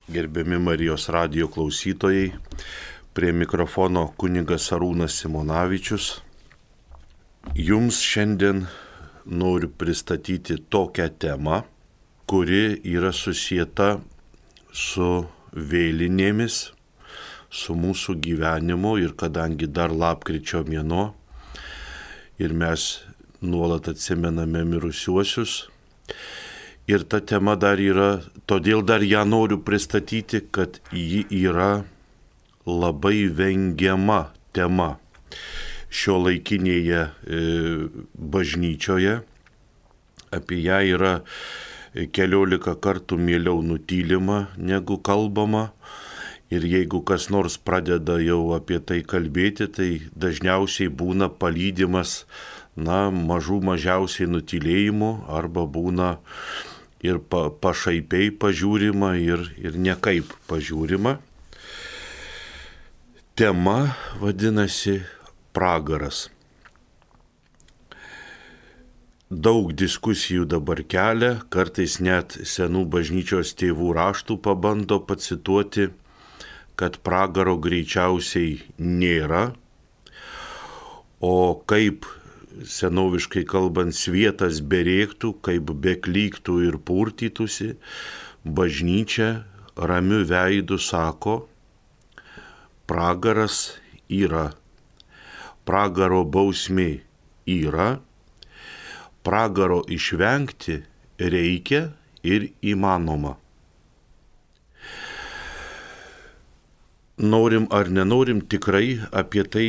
Gerbiami Marijos radijo klausytojai, prie mikrofono kunigas Arūnas Simonavičius. Jums šiandien noriu pristatyti tokią temą, kuri yra susieta su vėlinėmis, su mūsų gyvenimu ir kadangi dar lapkričio mėnuo ir mes nuolat atsimename mirusiuosius. Ir ta tema dar yra, todėl dar ją noriu pristatyti, kad ji yra labai vengiama tema šiuolaikinėje bažnyčioje. Apie ją yra 14 kartų mieliau nutylima negu kalbama. Ir jeigu kas nors pradeda jau apie tai kalbėti, tai dažniausiai būna palydimas, mažiausiai nutylėjimu arba būna ir pašaipiai pažiūrima ir nekaip pažiūrima. Tema vadinasi pragaras. Daug diskusijų dabar kelia, kartais net senų bažnyčios tėvų raštų pabando pacituoti, kad pragaro greičiausiai nėra, o kaip senoviškai kalbant svietas berėktų, kaip beklyktų ir purtytųsi, bažnyčia ramiu veidu sako, pragaras yra, pragaro bausmė yra, pragaro išvengti reikia ir įmanoma. Norim ar nenorim, tikrai apie tai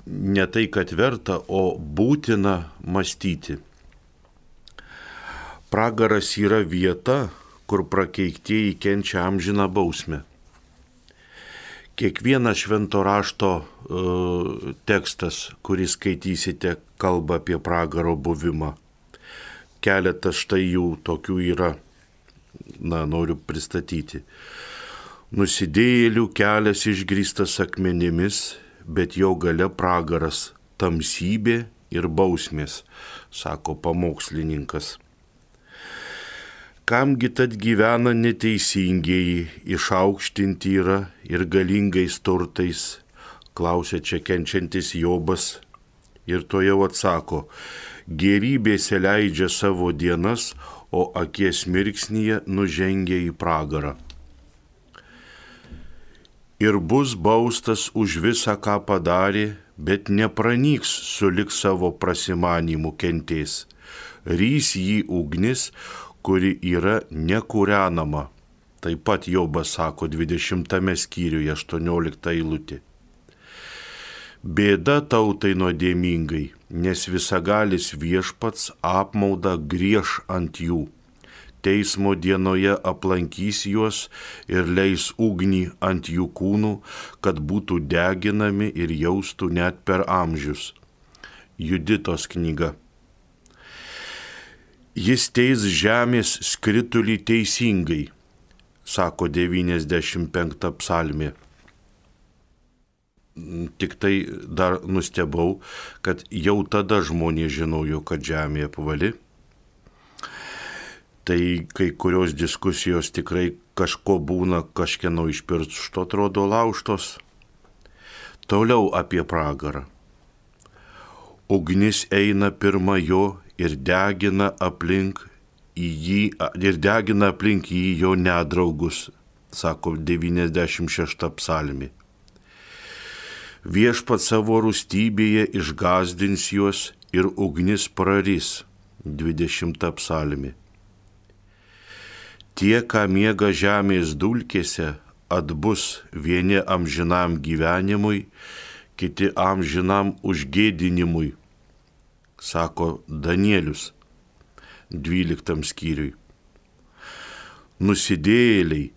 ne tai, kad verta, o būtina mąstyti. Pragaras yra vieta, kur prakeiktieji kenčia amžiną bausmę. Kiekvienas švento rašto tekstas, kurį skaitysite, kalba apie pragaro buvimą. Keletas štai jų tokių yra, noriu pristatyti. Nusidėjėlių kelias išgrįstas akmenimis, bet jo gale pragaras, tamsybė ir bausmės, sako pamokslininkas. Kamgi tad gyvena neteisingieji, išaukštinti yra ir galingais turtais, klausia čia kenčiantis Jobas ir to jau atsako, gėrybėse leidžia savo dienas, o akies mirksnyje nužengia į pragarą. Ir bus baustas už visą, ką padarė, bet nepranyks sulig savo prasimanymų kentės. Rys jį ugnis, kuri yra nekūrenama. Taip pat Jobas sako 20 skyriuje 18 eilutė. Bėda tautai nuodėmingai, nes visagalis viešpats apmaudą grieš ant jų. Teismo dienoje aplankys juos ir leis ugnį ant jų kūnų, kad būtų deginami ir jaustų net per amžius. Juditos knyga. Jis teis žemės skritulį teisingai, sako 95 psalmė. Tik tai dar nustebau, kad jau tada žmonės žinojo, kad žemė apvali. Tai kai kurios diskusijos tikrai kažko būna, kažkieno iš piršto atrodo laužtos. Toliau apie pragarą. Ugnis eina pirma jo ir degina aplink jį jo nedraugus, sako 96 psalmė. Viešpats savo rūstybėje išgąsdins juos ir ugnis praris, 20 psalmė. Tie, ką miega žemės dulkėse, atbus vieni amžinam gyvenimui, kiti amžinam užgėdinimui, sako Danielius 12 skyriui. Nusidėjėliai,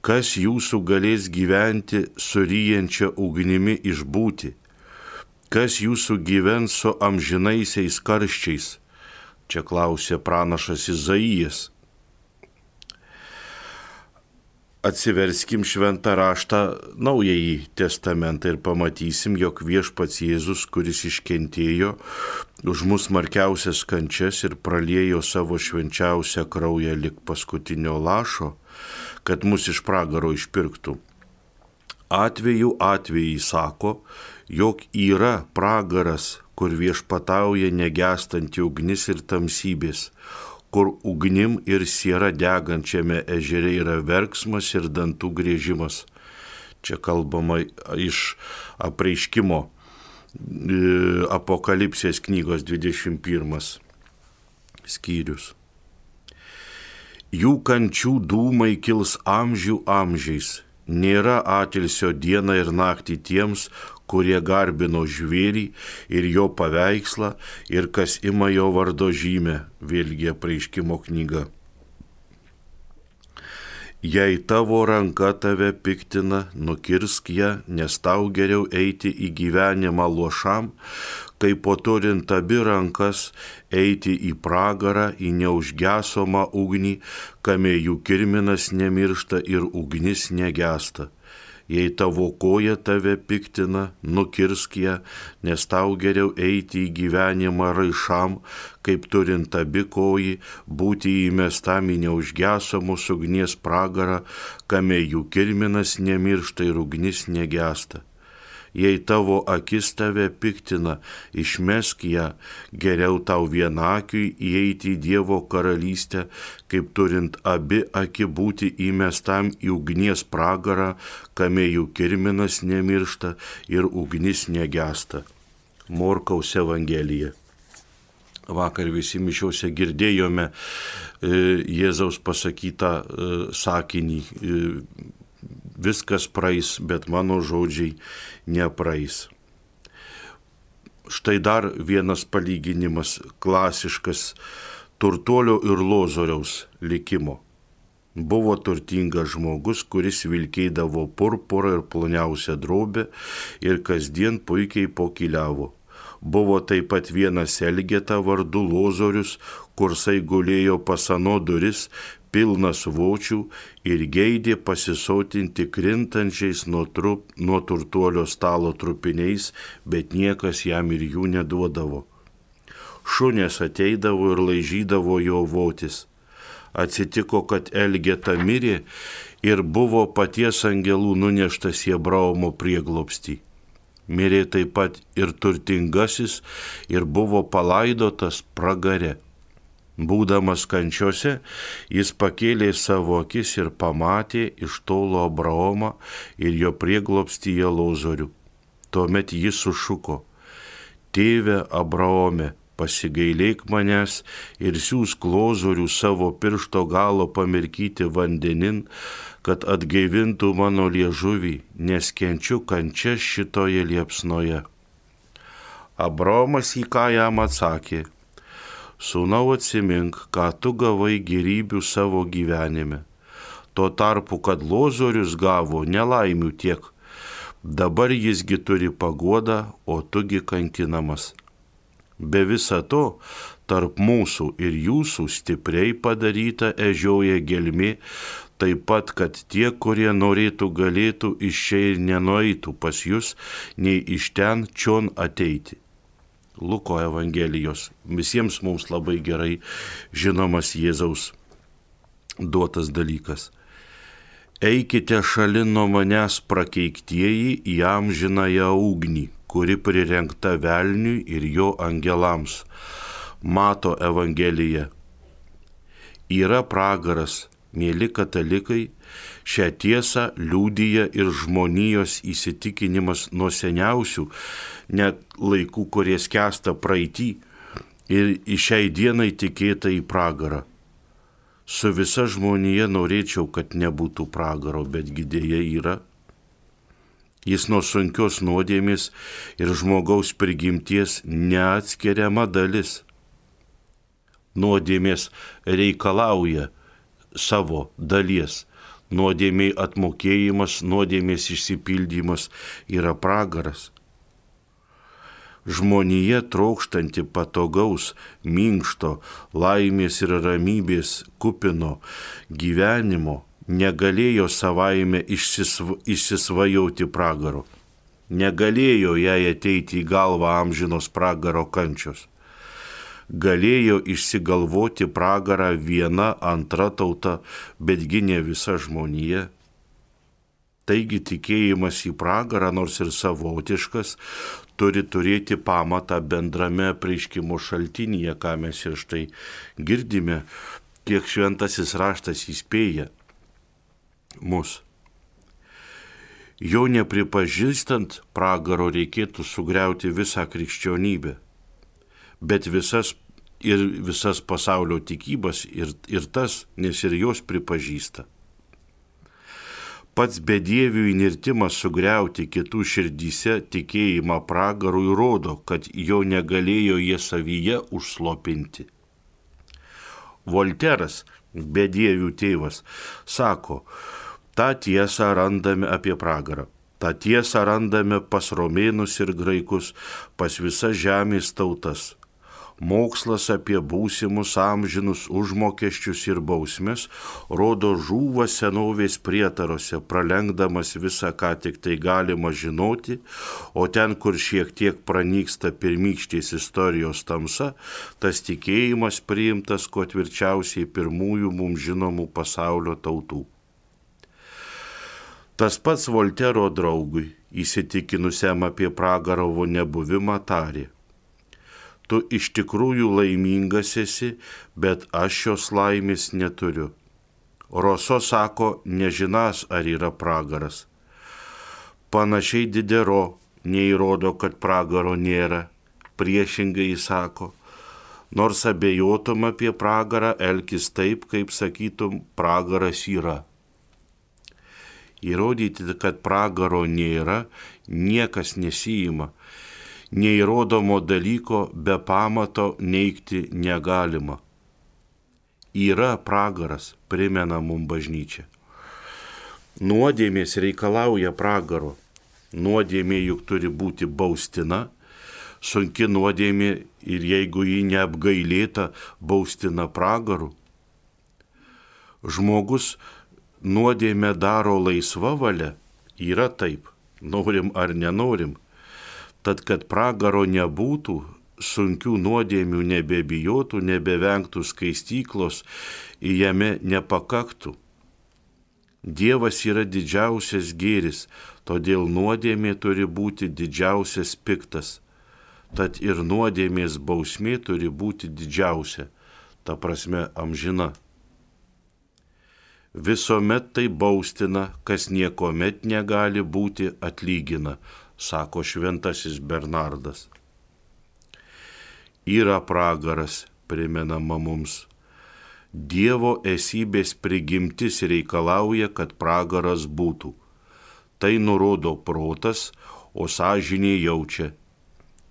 kas jūsų galės gyventi suryjančia ugnimi išbūti, kas jūsų gyvens su amžinaisiais karščiais, čia klausė pranašas Izaijas. Atsiverskim šventą raštą Naująjį testamentą ir pamatysim, jog viešpats Jėzus, kuris iškentėjo už mus smarkiausias kančias ir praliejo savo švenčiausią kraują lik paskutinio lašo, kad mus iš pragaro išpirktų. Atvejai sako, jog yra pragaras, kur viešpatauja negestanti ugnis ir tamsybės, kur ugnim ir siera degančiame ežere yra verksmas ir dantų griežimas. Čia kalbama iš Apreiškimo Apokalipsės knygos 21 skyrius. Jų kančių dūmai kils amžių amžiais. Nėra atilsio dieną ir naktį tiems, kurie garbino žvėrį ir jo paveikslą ir kas ima jo vardo žymę, vėlgi Apreiškimo knyga. Jei tavo ranka tave piktina, nukirsk ją, nes tau geriau eiti į gyvenimą luošam, kaip po turint abi rankas eiti į pragarą, į neužgesomą ugnį, kame jų kirminas nemiršta ir ugnis negesta. Jei tavo koja tave piktina, nukirsk ją, nes tau geriau eiti į gyvenimą raišam, kaip turint abi kojį, būti įmestam į neužgesomos ugnies pragarą, kame jų kirminas nemiršta ir ugnis negesta. Jei tavo akis tave piktina, išmesk ją, geriau tau vienakiui įeiti į Dievo karalystę, kaip turint abi akį būti įmestam į ugnies pragarą, kame jų kirminas nemiršta ir ugnis negesta. Morkaus Evangelija. Vakar visi mišiose girdėjome Jėzaus pasakytą sakinį. Viskas praeis, bet mano žodžiai nepraeis. Štai dar vienas palyginimas, klasiškas turtuolio ir lozoriaus likimo. Buvo turtingas žmogus, kuris vilkėdavo purpurą ir ploniausią drobę ir kasdien puikiai pokyliavo. Buvo taip pat vienas elgeta vardu Lozorius, kursai gulėjo pas ano duris, pilnas vočių ir geidė pasisotinti krintančiais nuo turtuolio stalo trupiniais, bet niekas jam ir jų neduodavo. Šunės ateidavo ir laižydavo jo votis. Atsitiko, kad elgeta mirė ir buvo paties angelų nuneštas į Abraomo prieglobstį. Mirė taip pat ir turtingasis ir buvo palaidotas pragare. Būdamas kančiose, jis pakėlė savo akis ir pamatė iš tolo Abraomą ir jo prieglobstyje Lozorių. Tuomet jis sušuko: Tėve Abraome, pasigailėk manęs ir siųsk Lozorių savo piršto galo pamirkyti vandenin, kad atgaivintų mano liežuvį, nes kenčiu kančias šitoje liepsnoje. Abraomas į ką jam atsakė: Sūnau, atsimink, ką tu gavai gėrybių savo gyvenime. Tuo tarpu, kad Lozorius gavo nelaimių tiek, dabar jisgi turi paguodą, o tugi kankinamas. Be visa to, tarp mūsų ir jūsų stipriai padaryta ežioja gelmė, taip pat, kad tie, kurie norėtų, galėtų iš čia ir nenueitų pas jūs, nei iš ten čion ateiti. Luko Evangelijos. Visiems mums labai gerai žinomas Jėzaus duotas dalykas. Eikite šalin nuo manęs prakeiktieji į amžinąją ugnį, kuri prirengta velniui ir jo angelams. Mato Evangelija. Yra pragaras, mėly katalikai, šią tiesą liudija ir žmonijos įsitikinimas nuo seniausių, net laikų, kurie skęsta praeitį, ir į šiai dienai tikėta į pragarą. Su visa žmonija norėčiau, kad nebūtų pragaro, betgi dėja yra. Jis nuo sunkios nuodėmės ir žmogaus prigimties neatskiriama dalis. Nuodėmės reikalauja savo dalies. Nuodėmei atmokėjimas, nuodėmės išsipildymas yra pragaras. Žmonija trokštanti patogaus, minkšto, laimės ir ramybės kupino gyvenimo negalėjo savaime išsisvajoti pragaro. Negalėjo jai ateiti į galvą amžinos pragaro kančios. galėjo išsigalvoti pragarą viena, antra tauta, betgi ne visa žmonija. Taigi tikėjimas į pragarą, nors ir savotiškas, turi turėti pamatą bendrame apreiškimo šaltinyje, ką mes ir štai girdime, kiek šventasis raštas įspėja mus. Jo nepripažįstant pragaro reikėtų sugriauti visą krikščionybę, bet visas pasaulio tikybas ir tas, nes ir jos pripažįsta. Pats bedievių įnirtimas sugriauti kitų širdyse tikėjimą pragarui rodo, kad jo negalėjo jie savyje užslopinti. Volteras, bedievių tėvas, sako, tą tiesą randame apie pragarą. tą tiesą randame pas romėnus ir graikus, pas visas žemės tautas. Mokslas apie būsimus amžinus užmokesčius ir bausmes rodo žūva senovės prietarose, pralenkdamas visą, ką tik tai galima žinoti, o ten, kur šiek tiek pranyksta pirmykštės istorijos tamsa, tas tikėjimas priimtas kuo tvirčiausiai pirmųjų mums žinomų pasaulio tautų. Tas pats Voltero draugui, įsitikinusiam apie pragaro nebuvimą, tarė: tu iš tikrųjų laimingas esi, bet aš šios laimės neturiu. Roso sako, nežinas, ar yra pragaras. Panašiai Didero neįrodo, kad pragaro nėra. Priešingai jis sako, nors abejotum apie pragarą, elkis taip, kaip sakytum, pragaras yra. Įrodyti, kad pragaro nėra, niekas nesiima. Neįrodomo dalyko be pamato neigti negalima. Yra pragaras, primena mums bažnyčia. Nuodėmės reikalauja pragaro. Nuodėmė juk turi būti baustina, sunki nuodėmė ir jeigu ji neapgailėta, baustina pragaru. Žmogus nuodėmę daro laisva valia, yra taip, norim ar nenorim. Tad, kad pragaro nebūtų, sunkių nuodėmių nebebijotų, nebevengtų skaistyklos, jame nepakaktų. Dievas yra didžiausias gėris, todėl nuodėmė turi būti didžiausias piktas. Tad ir nuodėmės bausmė turi būti didžiausia, ta prasme amžina. Visuomet tai baustina, kas niekomet negali būti atlygina, sako šventasis Bernardas. Yra pragaras, primenama mums. Dievo esybės prigimtis reikalauja, kad pragaras būtų. Tai nurodo protas, o sąžinė jaučia.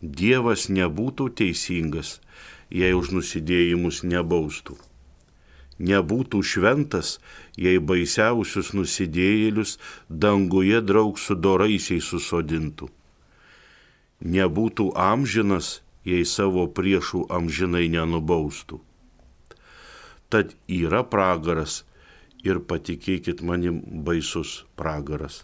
Dievas nebūtų teisingas, jei už nusidėjimus nebaustų. Nebūtų šventas, jei baisiausius nusidėjėlius danguje draug su doraisiais susodintų. Nebūtų amžinas, jei savo priešų amžinai nenubaustų. Tad yra pragaras ir patikėkit manim, baisus pragaras.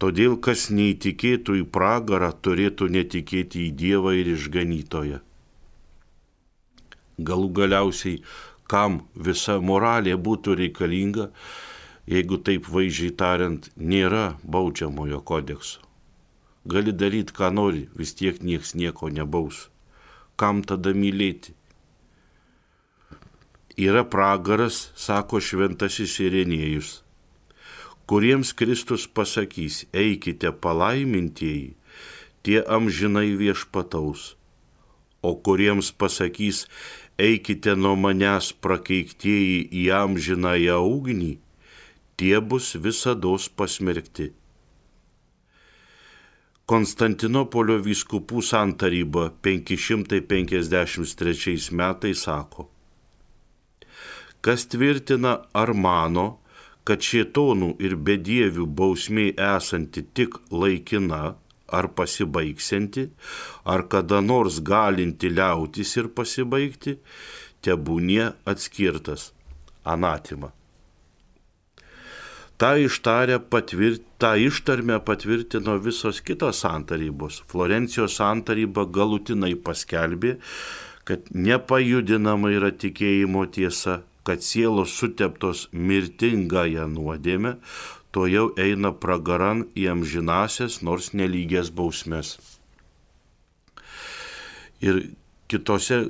Todėl, kas neįtikėtų į pragarą, turėtų netikėti į Dievą ir išganytoją. Galų galiausiai, kam visa moralė būtų reikalinga, jeigu taip vaizdžiai tariant, nėra baudžiamojo kodekso. Gali daryti, ką nori, vis tiek nieks nieko nebaus. Kam tada mylėti? Yra pragaras, sako šventasis Irenėjus, kuriems Kristus pasakys, eikite palaimintieji, tie amžinai viešpataus, o kuriems pasakys, eikite nuo manęs prakeiktieji į amžinąją ugnį, tie bus visados pasmerkti. Konstantinopolio vyskupų santaryba 553 metais sako, kas tvirtina ar mano, kad šėtonų ir bedievių bausmė esanti tik laikina, ar pasibaigsianti, ar kada nors galinti liautis ir pasibaigti, tebūnie atskirtas anatima. tą ištarmę patvirtino visos kitos santarybos. Florencijos santaryba galutinai paskelbė, kad nepajudinama yra tikėjimo tiesa, kad sielos suteptos mirtingąją nuodėmę, to jau eina pragaran į amžinasias, nors nelygias bausmes. Ir kitose,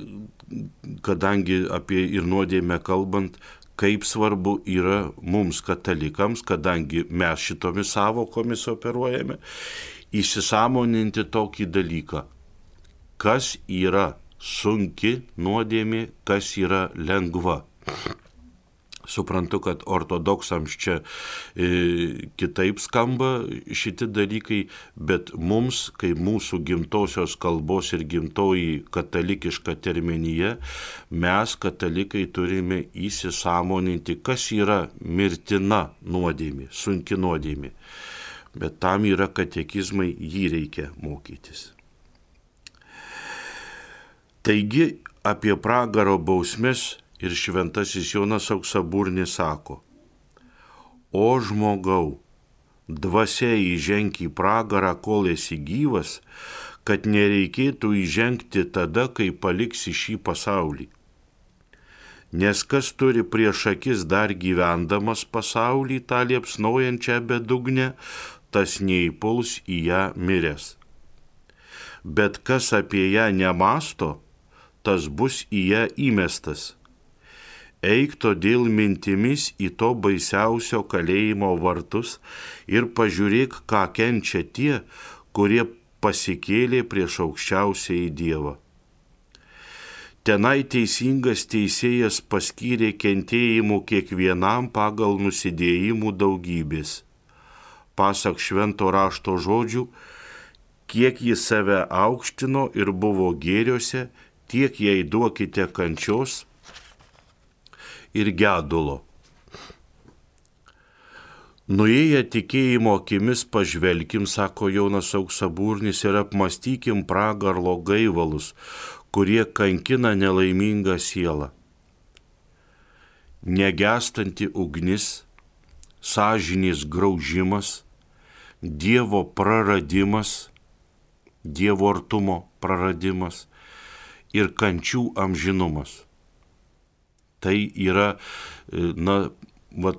kadangi apie ir nuodėmę kalbant, kaip svarbu yra mums katalikams, kadangi mes šitomis savokomis operuojame, įsisąmoninti tokį dalyką, kas yra sunki nuodėmė, kas yra lengva. Suprantu, kad ortodoksams čia kitaip skamba šitie dalykai, bet mums, kai mūsų gimtosios kalbos ir gimtoji katalikiška terminija, mes katalikai turime įsisąmoninti, kas yra mirtina nuodėmė, sunki nuodėmė. Bet tam yra katekizmai, jį reikia mokytis. Taigi apie pragaro bausmes ir šventasis Jonas Auksaburnis sako: O žmogau, dvasia įženk į pragarą, kol esi gyvas, kad nereikėtų įžengti tada, kai paliksi šį pasaulį. Nes kas turi prieš akis dar gyvendamas pasaulį tą liepsnojančią bedugnę, tas neįpuls į ją miręs. Bet kas apie ją nemasto, tas bus į ją įmestas. Eik todėl mintimis į to baisiausio kalėjimo vartus ir pažiūrėk, ką kenčia tie, kurie pasikėlė prieš aukščiausiąjį Dievą. Tenai teisingas teisėjas paskyrė kentėjimų kiekvienam pagal nusidėjimų daugybės. Pasak švento rašto žodžių, kiek jis save aukštino ir buvo gėriuose, tiek jai duokite kančios ir gedulo. Nuėję tikėjimo akimis pažvelkim, sako Jonas Auksaburnis, ir apmastykim pragaro gaivalus, kurie kankina nelaimingą sielą. Negęstanti ugnis, sąžinės graužimas, Dievo praradimas, Dievo artumo praradimas ir kančių amžinumas. Tai yra,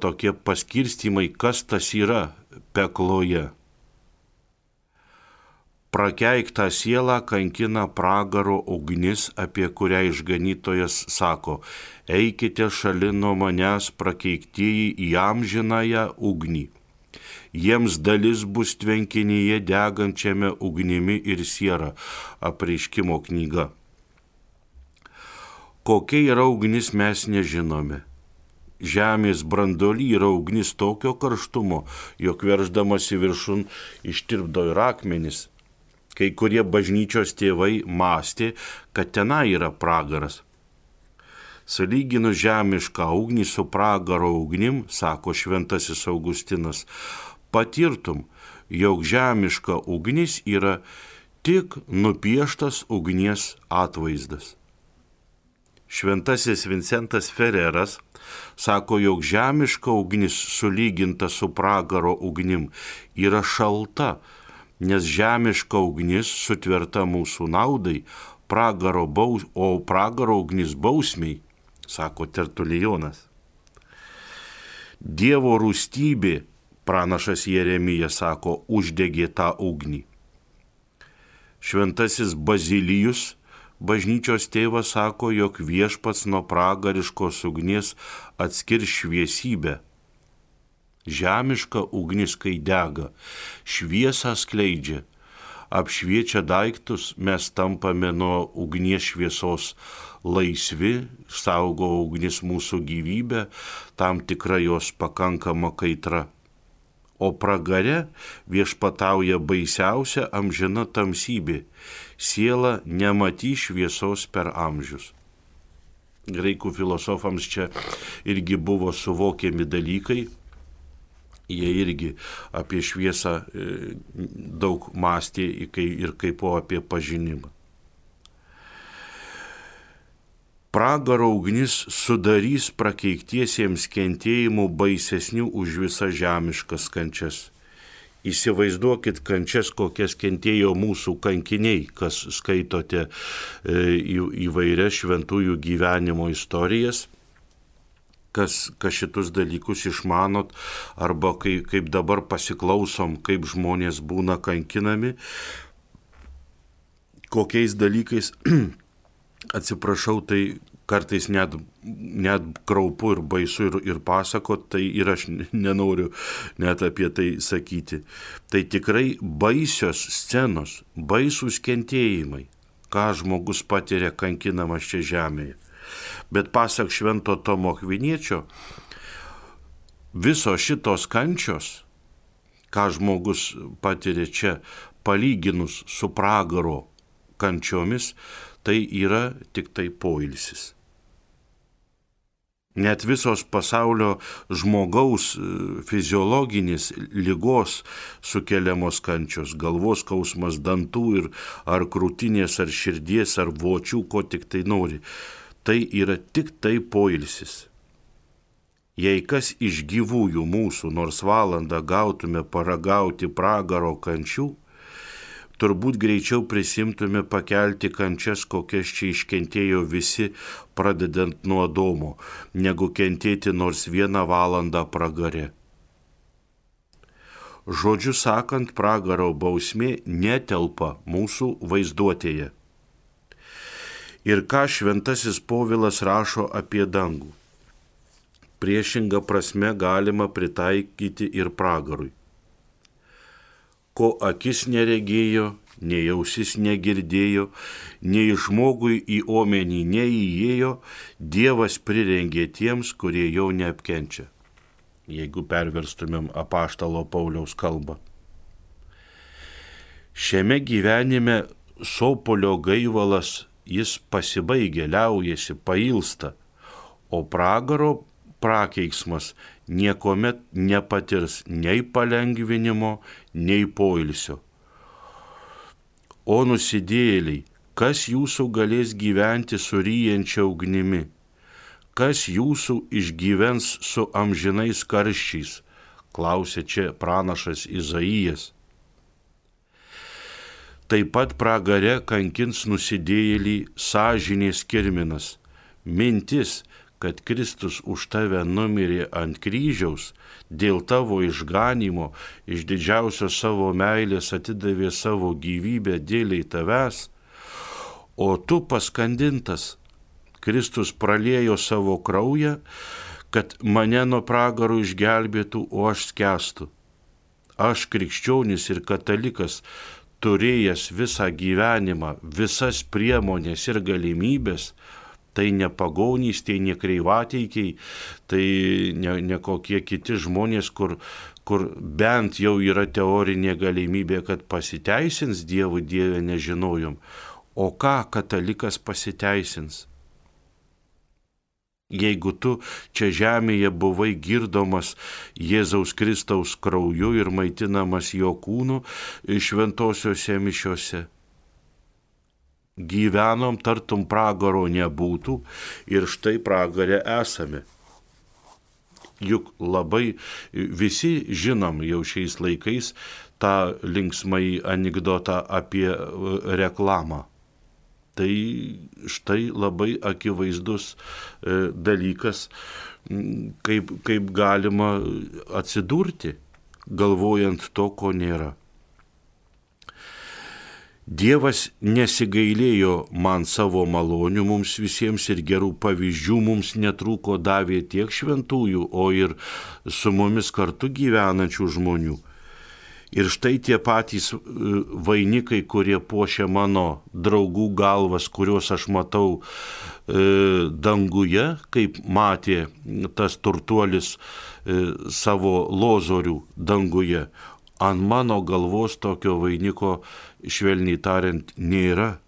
tokie paskirstymai, kas tas yra pekloje. Prakeiktą sielą kankina pragaro ugnis, apie kurią išganytojas sako: eikite šalin nuo manęs, prakeiktieji, į amžinąją ugnį. Jiems dalis bus tvenkinyje degančiame ugnimi ir siera. Apreiškimo knyga. Kokia yra ugnis, mes nežinome. Žemės branduoly yra ugnis tokio karštumo, jog verždamas į viršun ištirpdo ir akmenis. Kai kurie bažnyčios tėvai mąstė, kad tenai yra pragaras. Sulyginus žemišką ugnį su pragaro ugnim, sako šventasis Augustinas, patirtum, jog žemiška ugnis yra tik nupieštas ugnies atvaizdas. Šventasis Vincentas Fereras sako, jog žemiška ugnis sulyginta su pragaro ugnim yra šalta, nes žemiška ugnis sutverta mūsų naudai, o pragaro ugnis bausmiai, sako Tertulijonas. Dievo rūstybė, pranašas Jeremija sako, uždegė tą ugnį. Šventasis Bazilijus, bažnyčios tėvas, sako, jog viešpats nuo pragariškos ugnies atskirs šviesybę. Žemiška ugnis, kai dega, šviesą skleidžia, apšviečia daiktus, mes tampame nuo ugnies šviesos laisvi, saugo ugnis mūsų gyvybę, tam tikra jos pakankama kaitra. O pragare viešpatauja baisiausia amžina tamsybė. Siela nematys šviesos per amžius. Graikų filosofams čia irgi buvo suvokiami dalykai. Jie irgi apie šviesą daug mąstė ir kaip apie pažinimą. Pragaro ugnis sudarys prakeiktiesiems kentėjimų baisesnių už visas žemiškas kančias. Įsivaizduokit kančias, kokias kentėjo mūsų kankiniai, kas skaitote įvairias šventųjų gyvenimo istorijas, kas šitus dalykus išmanot, arba kaip dabar pasiklausom, kaip žmonės būna kankinami, kokiais dalykais. Atsiprašau, tai kartais net kraupu ir baisu ir pasakot, tai ir aš nenoriu net apie tai sakyti. Tai tikrai baisios scenos, baisūs kentėjimai, ką žmogus patiria kankinamas čia žemėje. Bet pasak Švento Tomo Akviniečio, visos šitos kančios, ką žmogus patiria čia, palyginus su pragaro kančiomis, tai yra tik tai poilsis. Net visos pasaulio žmogaus fiziologinės ligos sukeliamos kančios, galvos skausmas, dantų ar krūtinės, ar širdies, ar vočių, ko tik tai nori, tai yra tik tai poilsis. Jei kas iš gyvųjų mūsų nors valandą gautume paragauti pragaro kančių, turbūt greičiau prisimtume pakelti kančias, kokias čia iškentėjo visi, pradedant nuo Adomo, negu kentėti nors 1 valandą pragare. Žodžiu sakant, pragaro bausmė netelpa mūsų vaizduotėje. Ir ką šventasis Povilas rašo apie dangų? Priešingą prasme galima pritaikyti ir pragarui. Ko akis neregėjo, nei ausis negirdėjo, nei žmogui į omenį neįėjo, Dievas prirengė tiems, kurie jau neapkenčia. Jeigu perverstumėm apaštalo Pauliaus kalbą. Šiame gyvenime sopolio gaivalas jis pasibaigia, liaujasi, pailsta, o pragaro prakeiksmas niekuomet nepatirs nei palengvinimo, nei poilsio. O nusidėjėliai, kas jūsų galės gyventi su ryjančia ugnimi? Kas jūsų išgyvens su amžinais karščiais? Klausė čia pranašas Izaijas. Taip pat pragare kankins nusidėjėlį sąžinės kirminas. Mintis, kad Kristus už tave numirė ant kryžiaus, dėl tavo išganymo, iš didžiausios savo meilės atidavė savo gyvybę dėliai tavęs, o tu paskandintas, Kristus praliejo savo kraują, kad mane nuo pragaro išgelbėtų, o aš skęstu. Aš krikščionis ir katalikas, turėjęs visą gyvenimą, visas priemonės ir galimybės, tai ne pagonys, tai ne kreivateikiai, tai ne kokie kiti žmonės, kur bent jau yra teorinė galimybė, kad pasiteisins Dievų Dieve nežinojom. O ką katalikas pasiteisins? Jeigu tu čia žemėje buvai girdomas Jėzaus Kristaus krauju ir maitinamas jo kūnu šventosiuose mišiose, gyvenom tartum pragaro nebūtų ir štai pragare esame. Juk labai visi žinom jau šiais laikais tą linksmai anekdotą apie reklamą. Tai štai labai akivaizdus dalykas, kaip galima atsidurti, galvojant to, ko nėra. Dievas nesigailėjo man savo malonių mums visiems ir gerų pavyzdžių mums netrūko, davė tiek šventųjų, o ir su mumis kartu gyvenančių žmonių. Ir štai tie patys vainikai, kurie puošia mano draugų galvas, kuriuos aš matau danguje, kaip matė tas turtuolis savo lozorių danguje, ant mano galvos tokio vainiko, švelniai tariant, nėra.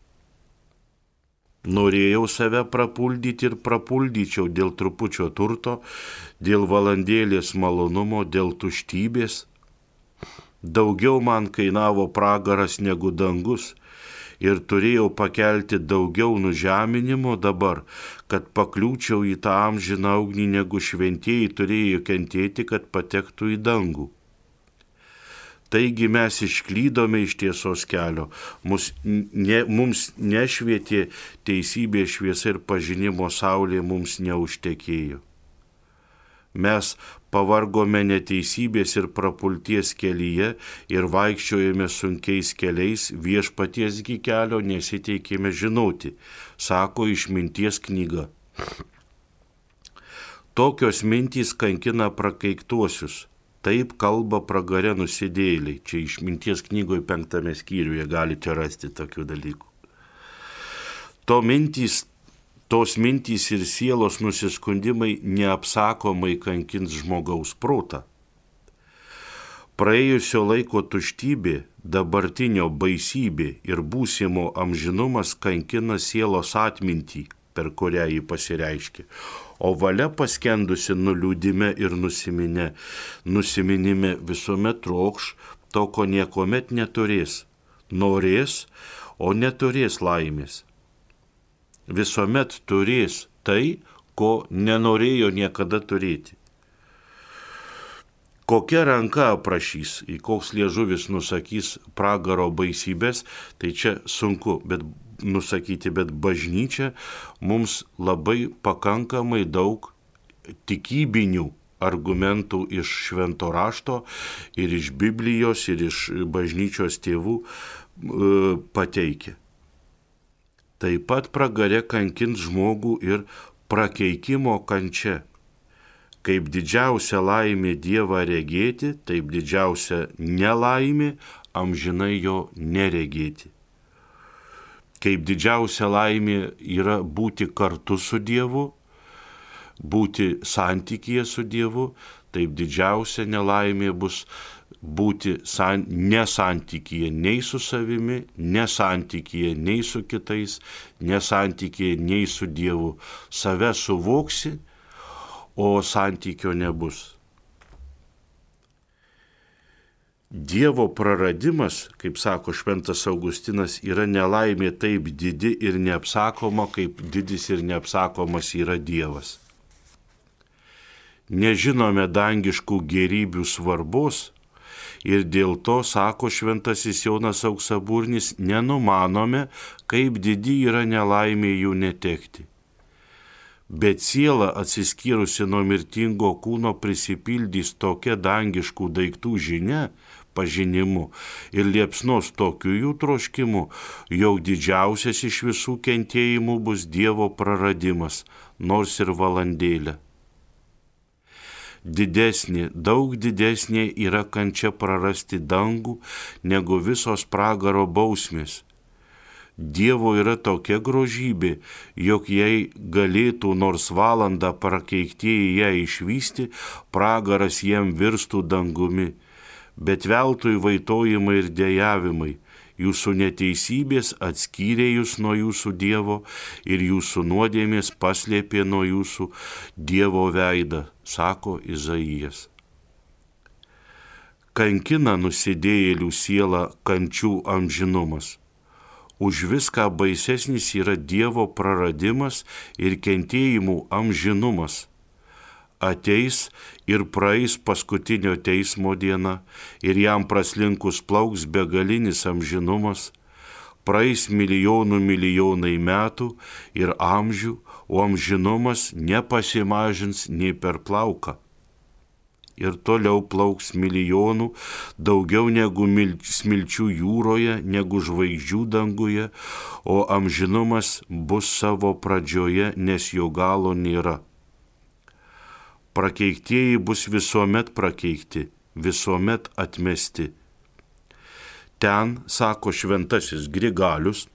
Norėjau save prapuldyti ir prapuldyčiau dėl trupučio turto, dėl valandėlės malonumo, dėl tuštybės. Daugiau man kainavo pragaras negu dangus, ir turėjau pakelti daugiau nužeminimo dabar, kad pakliūčiau į tą amžiną ugnį, negu šventieji turėjo kentėti, kad patektų į dangų. Taigi mes išklydome iš tiesos kelio, mums nešvietė teisybės šviesa ir pažinimo saulė mums neužtekėjo. Mes pavargome neteisybės ir prapulties kelyje ir vaikščiojame sunkiais keliais, viešpatiesgi kelio nesiteikėme žinoti, sako Išminties knyga. Tokios mintys kankina prakeiktuosius. Taip kalba pragare nusidėjėliai. Čia Išminties knygoje 5 skyriuje galite rasti tokių dalykų. Tos mintys ir sielos nusiskundimai neapsakomai kankins žmogaus protą. Praėjusio laiko tuštybė, dabartinio baisybė ir būsimo amžinumas kankina sielos atmintį, per kurią jį pasireiškia. O valia paskendusi nuliūdime ir nusiminime visuomet trokš to, ko niekuomet neturės. Norės, o neturės laimės. Visuomet turės tai, ko nenorėjo niekada turėti. Kokia ranka aprašys, į koks liežuvis nusakys pragaro baisybės, tai čia sunku nusakyti, bet bažnyčia mums labai pakankamai daug tikybinių argumentų iš švento rašto ir iš Biblijos ir iš bažnyčios tėvų pateikia. Taip pat pragare kankins žmogų ir prakeikimo kančia. Kaip didžiausia laimė Dievą regėti, taip didžiausia nelaimė amžinai jo neregėti. Kaip didžiausia laimė yra būti kartu su Dievu, būti santykyje su Dievu, taip didžiausia nelaimė bus būti nesantykyje nei su savimi, nesantykyje nei su kitais, nesantykyje nei su Dievu. Save suvoksi, o santykio nebus. Dievo praradimas, kaip sako šventas Augustinas, yra nelaimė taip didi ir neapsakoma, kaip didis ir neapsakomas yra Dievas. Nežinome dangiškų gėrybių svarbos ir dėl to, sako šventasis Jonas Auksaburnis, nenumanome, kaip didi yra nelaimė jų netekti. Bet siela atsiskyrusi nuo mirtingo kūno prisipildys tokia dangiškų daiktų žinia, pažinimu ir liepsnos tokiu jų troškimu, jog didžiausias iš visų kentėjimų bus Dievo praradimas, nors ir valandėlę. Daug didesnė yra kančia prarasti dangų, negu visos pragaro bausmės. Dievo yra tokia grožybė, jog jei galėtų nors valandą prakeiktieji ją išvysti, pragaras jiem virstų dangumi. Bet veltui vaitojimai ir dejavimai, jūsų neteisybės atskyrė jūs nuo jūsų Dievo ir jūsų nuodėmės paslėpė nuo jūsų Dievo veidą, sako Izaijas. Kankina nusidėjėlių sielą kančių amžinumas. Už viską baisesnis yra Dievo praradimas ir kentėjimų amžinumas. Ateis ir praeis paskutinio teismo diena, ir jam praslinkus plauks begalinis amžinumas, praeis milijonai metų ir amžių, o amžinumas nepasimažins nei per plauką. Ir toliau plauks milijonų, daugiau negu smilčių jūroje, negu žvaigždžių danguje, o amžinumas bus savo pradžioje, nes jo galo nėra. Prakeiktieji bus visuomet prakeikti, visuomet atmesti. Ten, sako šventasis Grigalius,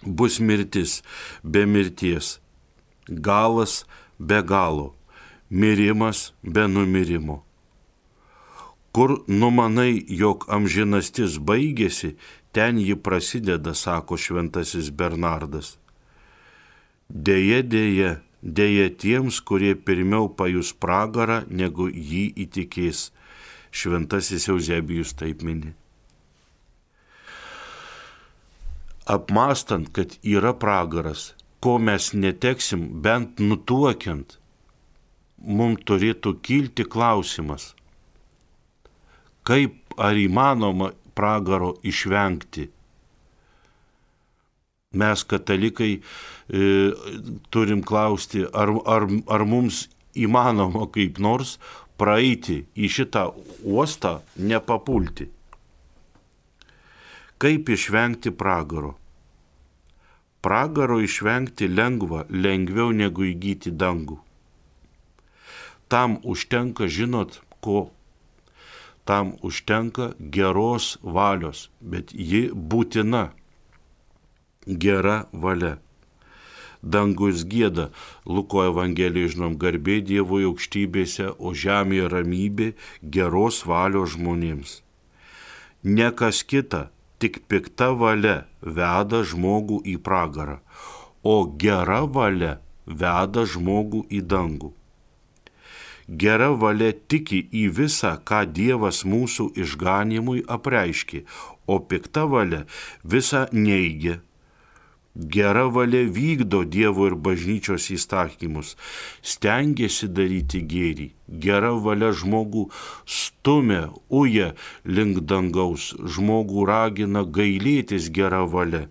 bus mirtis be mirties, galas be galo, mirimas be numirimo. Kur numanai, jog amžinastis baigėsi, ten ji prasideda, sako šventasis Bernardas. Deja tiems, kurie pirmiau pajus pragarą, negu jį įtikės. Šventasis Euzebijus taip mini. apmastant, kad yra pragaras, ko mes neteksim, bent nutuokiant, mums turėtų kilti klausimas, kaip ar įmanoma pragaro išvengti. Mes, katalikai, turim klausti, ar mums įmanoma kaip nors praeiti į šitą uostą, nepapulti. Kaip išvengti pragaro? Pragaro išvengti lengviau negu įgyti dangų. Tam užtenka, žinot, ko? Tam užtenka geros valios, bet ji būtina. Gera valia. Dangus gieda, Luko Evangelijoje žinom, garbė Dievui aukštybėse, o žemėje ramybė geros valios žmonėms. Ne kas kita, tik pikta valia veda žmogų į pragarą, o gera valia veda žmogų į dangų. Gera valia tiki į visą, ką Dievas mūsų išganymui apreiškė, o pikta valia visą neigia. Gera valia vykdo Dievo ir bažnyčios įstatymus, stengiasi daryti gėrį. Gera valia žmogų stumia, uja link dangaus, žmogų ragina gailėtis gera valia,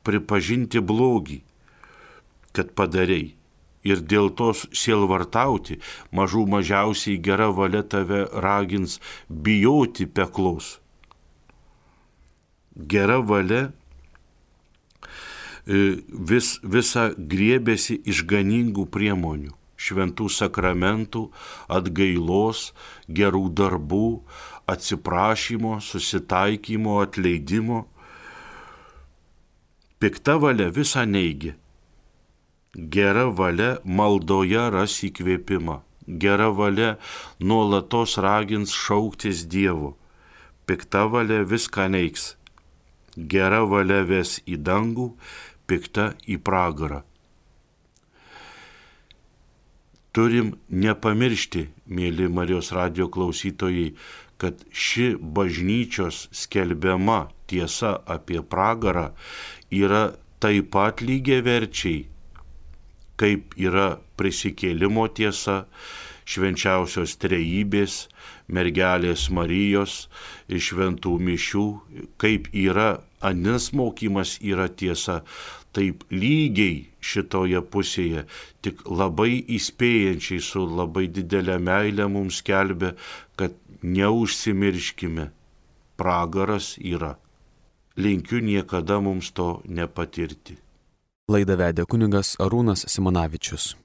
pripažinti blogį, kad padarei. Ir dėl to sielvartauti, mažiausiai gera valia tave ragins bijoti peklos. Gera valia visa griebėsi išganingų priemonių, šventų sakramentų, atgailos, gerų darbų, atsiprašymo, susitaikymo, atleidimo. Pikta valia visą neigia. Gera valia maldoje ras įkvėpimą. Gera valia nuolatos ragins šauktis Dievo. Pikta valia viską neigs. Gera valia ves į dangų, pikta į pragarą. Turim nepamiršti, mėly Marijos radijo klausytojai, kad ši bažnyčios skelbiama tiesa apie pragarą yra taip pat lygiaverčiai, kaip yra prisikėlimo tiesa, švenčiausios trejybės, mergelės Marijos, šventų mišių, kaip yra anis mokymas yra tiesa, taip lygiai šitoje pusėje, tik labai įspėjančiai su labai didelė meilė mums skelbia, kad neužsimirškime, pragaras yra. Linkiu niekada mums to nepatirti. Laidą vedė kunigas Arūnas Simonavičius.